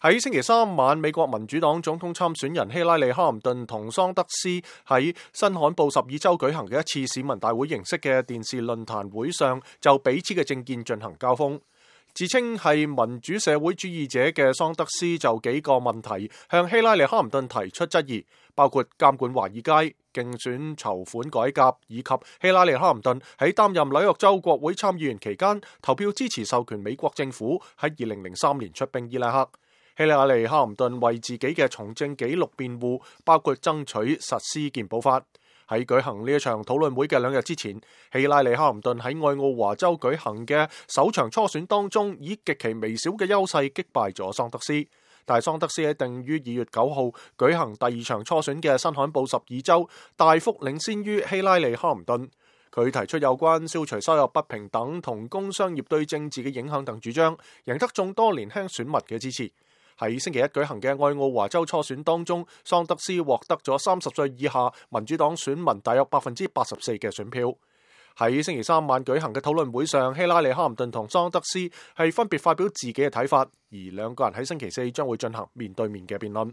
喺星期三晚，美國民主黨總統參選人希拉里·哈林頓同桑德斯喺新罕布什爾州舉行嘅一次市民大會形式嘅電視論壇會上，就彼此嘅政見進行交鋒。自稱係民主社會主義者嘅桑德斯就幾個問題向希拉里·哈林頓提出質疑，包括監管華爾街、競選籌款改革，以及希拉里·哈林頓喺擔任紐約州國會參議員期間投票支持授權美國政府喺2003年出兵伊拉克。希拉里·哈林頓為自己嘅從政紀錄辯護，包括爭取實施健保法。喺舉行呢一場討論會嘅2日之前，希拉里·哈林頓喺愛奧華州舉行嘅首場初選當中，以極其微小嘅優勢擊敗咗桑德斯。但係桑德斯喺定於2月9號舉行第2場初選嘅新罕布什爾州，大幅領先於希拉里·哈林頓。佢提出有關消除收入不平等同工商業對政治嘅影響等主張，贏得眾多年輕選民嘅支持。喺星期一舉行嘅愛奧華州初選當中，桑德斯獲得咗30歲以下民主黨選民大約84%嘅選票。喺星期三晚舉行嘅討論會上，希拉里·哈林頓同桑德斯係分別發表自己嘅睇法，而兩個人喺星期四將會進行面對面嘅辯論。